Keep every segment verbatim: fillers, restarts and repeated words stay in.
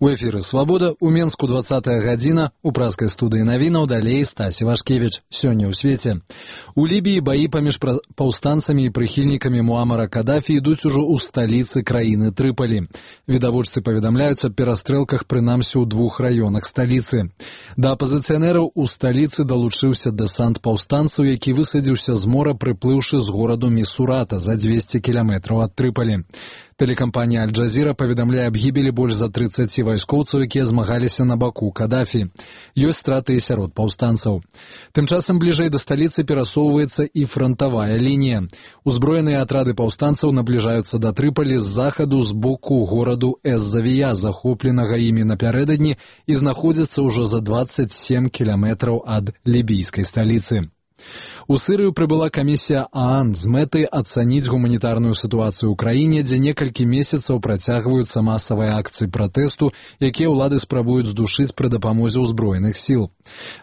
У эфіры «Свабода», у Менску двадцатая гадзіна, у праскай студыі навінаў далей Стасі Вашкевіч. Сёння ў свеце. У Лібіі баі паміж паўстанцамі і прыхільнікамі Муамара Кадафі ідуць ужо ў сталіцы краіны Трыпалі. Відавочцы паведамляюць аб перастрэлках прынамсі ў двух раёнах сталіцы. Да апазіцыянераў у сталіцы далучыўся дэсант паўстанцаў, які высадзіўся з мора, прыплыўшы з гораду Місурата за дзвесце кіламетраў ад Трыпалі. Тэлекампанія «Аль-Джазіра» паведамляе аб гібелі больш за трыццаці вайскоўцаў, якія змагаліся на баку Кадафі. Ёсць страты і сярод паўстанцаў. Тым часам бліжэй да сталіцы перасоўваецца і франтавая лінія. Узброеныя атрады паўстанцаў набліжаюцца да Трыпалі з захаду з боку гораду Эз-Завія, захопленага імі напярэдадні, і знаходзяцца ўжо за дваццаць сем кіламетраў ад лібійскай сталіцы. У Сырыю прыбыла камісія ААН з мэтай ацаніць гуманітарную сітуацыю ў краіне, дзе некалькі месяцаў працягваюцца масавыя акцыі пратэсту, якія ўлады спрабуюць здушыць пры дапамозе ўзброеных сіл.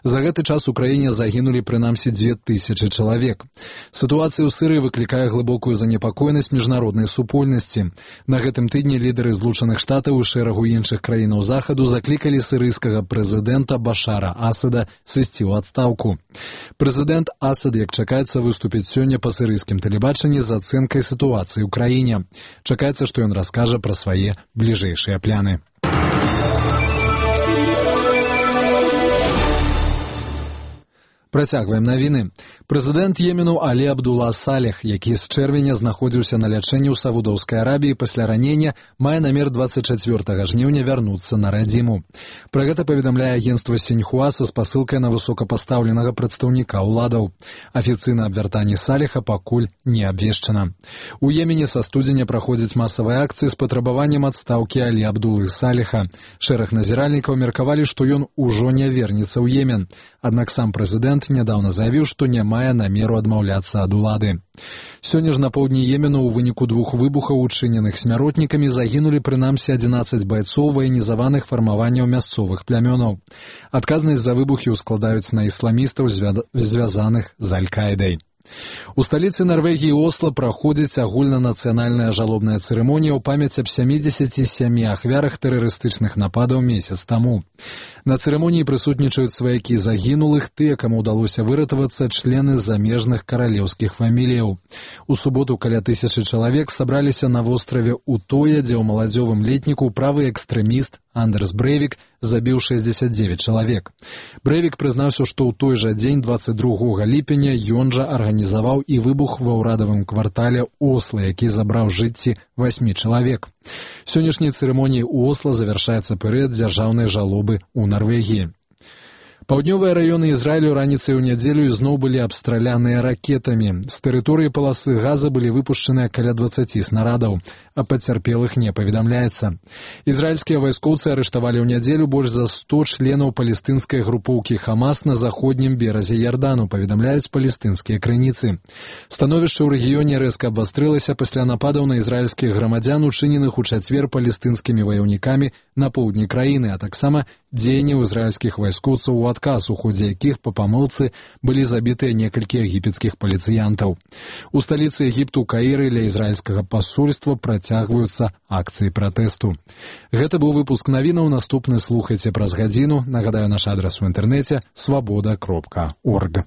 За гэты час у краіне загінулі прынамсі дзве тысячы чалавек. Сітуацыя ў Сырыі выклікае глыбокую занепакоенасць міжнароднай супольнасці. На гэтым тыдні лідары Злучаных Штатаў і шэрагу іншых краінаў захаду заклікалі сырыйскага прэзідэнта Башара Асада сысці ў адстаўку. Прэзідэнт Асад, як чакаецца, выступіць сёння па сырыйскім тэлебачанні з ацэнкай сітуацыі ў краіне. Чакаецца, што ён раскажа пра свае бліжэйшыя пляны. Працягваем навіны. Прэзідэнт Йемену Алі Абдула Салех, які з чэрвеня знаходзіўся на лячэнні ў Саудаўскай Арабіі пасля ранення, мае намер дваццаць чацвёртага жніўня вярнуцца на радзіму. Пра гэта паведамляе агенцтва Сіньхуа са спасылкай на высокапастаўленага прадстаўніка ўладаў. Афіцыйна аб вяртанні Салеха пакуль не абвешчана. У Йемене са студзеня праходзяць масавыя акцыі з патрабаваннем адстаўкі Алі Абдулы Салеха. Шэраг назіральнікаў меркавалі, што ён ужо не вернецца ў Йемен. Аднак сам прэзідэнт нядаўна заявіў, што не мае намеру адмаўляцца ад улады. Сёння ж на поўдні Йемену ў выніку двух выбухаў, учыненых смяротнікамі, загінулі прынамсі адзінаццаць байцоў ваенізаваных фармаванняў мясцовых плямёнаў. Адказнасць за выбухі ўскладаюць на ісламістаў, звязаных з Аль-Каідай. У сталіцы Нарвегіі Осла праходзіць агульнанацыянальная жалобная цырымонія ў памяць аб сямідзесяці сямі ахвярах тэрарыстычных нападаў месяц таму. На цырымоніі прысутнічаюць сваякі загінулых, тыя, каму ўдалося выратавацца, члены замежных каралеўскіх фаміліяў. У суботу каля тысячы чалавек сабраліся на востраве Утоя, дзе ў маладзёвым летніку правы экстрэміст Андерс Брэйвік забіў шэсцьдзесят дзевяць чалавек. Брэйвік прызнаўся, што ў той жа дзень, дваццаць другога ліпеня, ён жа арганізаваў і выбух ва ўрадавым квартале Осла, які забраў жыцці васьмі чалавек. Сённяшняй цырымоніяй у Осла завяршаецца перыяд дзяржаўнай жалобы ў Нарвегіі. Паўднёвыя раёны Ізраілю раніцай у нядзелю ізноў былі абстраляныя ракетамі. З тэрыторыі паласы Газа былі выпушчаныя каля дваццаці снарадаў, а пацярпелых не паведамляецца. Ізраільскія вайскоўцы арыштавалі ў нядзелю больш за сто членаў палестынскай групоўкі Хамас на заходнім беразе Ярдану, паведамляюць палестынскія крыніцы. Становішча ў рэгіёне рэзка абвастрылася пасля нападаў на ізраільскіх грамадзян, учыненых у чацвер палестынскімі ваяўнікамі на поўдні краіны, а таксама дзеянняў ізраільскіх вайскоўцаў у адказ, у ходзе якіх па памылцы былі забітыя некалькі егіпецкіх паліцыянтаў. У сталіцы Егіпту Каіры ля ізраільскага пасольства працягваюцца акцыі пратэсту. Гэта быў выпуск навінаў, наступны слухайце праз гадзіну. Нагадаю, наш адрас у інтэрнэце свабода кропка орг.